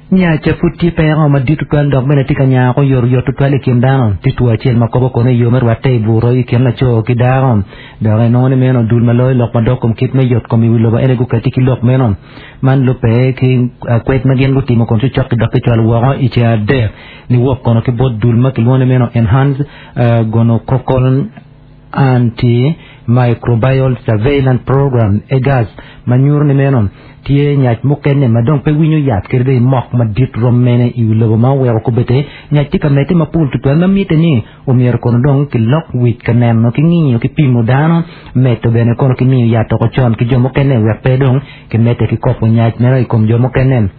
Nyaca pud tye peko madit tutwal dok bene tye ka nyako oyotoyot tutwal i kin dano. Tye two acel ma kobo kono i yo me rwatte i buto i kin laco ki dako. Dok inongo ni meno dul ma loyo lok madok kom kit me yot kom i wi lobo ene gukati ki lok meno. Man lubbe ki kwed ma gin gutimo kun cocok-ki dok kicwalo woko i ceng adek niwok kono ki bot dul ma kilwongo ni meno Enhanced Gonococcal Antimicrobial Surveillance Program, EGAS, ma nyuto ni meno tye nyac mukene ma dong pe winyo yat kadi bed mok madit rom mene i wi lobo ma oweko kobedde nyac tye ka medde mapol tutwal ma mitte ni omyero kono dong kilok wic ka neno ki ngiyo ki pimo dano medo bene kono ki miyo yat oko con ki jo mukene wek pe dong kimedde ki kopo nyac meno i kom jo mukene.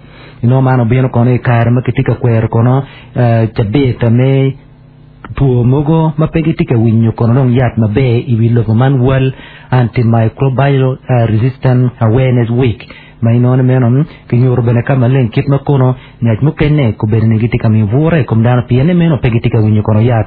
Inongo man obino kono i kare ma kitye ka kwero kono cabit me Two mogo ma pe gitye ka winyo kono dong yat maber i wi lobo man World Antimicrobial Resistance Awareness Week ma inongo ni meno kinyuto bene ka maleng kit ma kono nyac mukene kobedo ni gitye ka miyo bwura i kom dano pien ni meno pe gitye ka winyo kono yat.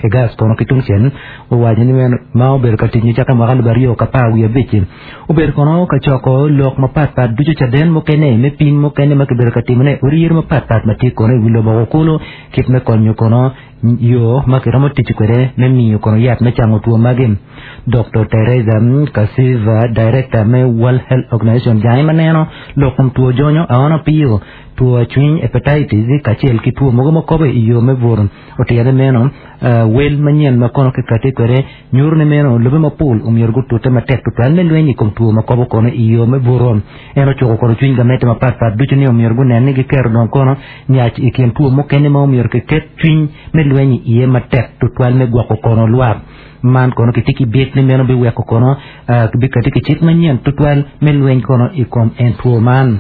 Egas kono ki tungcel owaco ni meno ma obedo ka tic nicakke mwaka alip 2015 obedo kono ka coko lok mapat pat ducu caden mukene me pim mukene ma kibedo ka timone i odi yero mapat pat ma tye kono i wi lobo kulu Kit me konyo kono yo ma kiromo tic kwede me miyo kono yat me cango two magi. Doktor Teresa Kasiva, Director me World Health Organization jange ma neno lok kom two jonyo, aona piyo, two acwiny, hepatitis, kacel ki two mogo ma kobo i yo me buto otito ni meno wel manyen ma kono kikati kwede nyuto ni meno lobe mapol omyero gutute matek tutwal me lweny i kom two ma kobo kono i yo me buto. En ocuko kono cwiny gamente mapat pat ducu ni omyero gunen ni giketo dong kono nyac i kin two mukene ma omyero kiket cwiny me lweny iye matek tutwal me gwoko kono lwak. Man kono kitye ki byek ni meno biweko kono bikati ki cik manyen tutwal me lweny kono i kom en two man.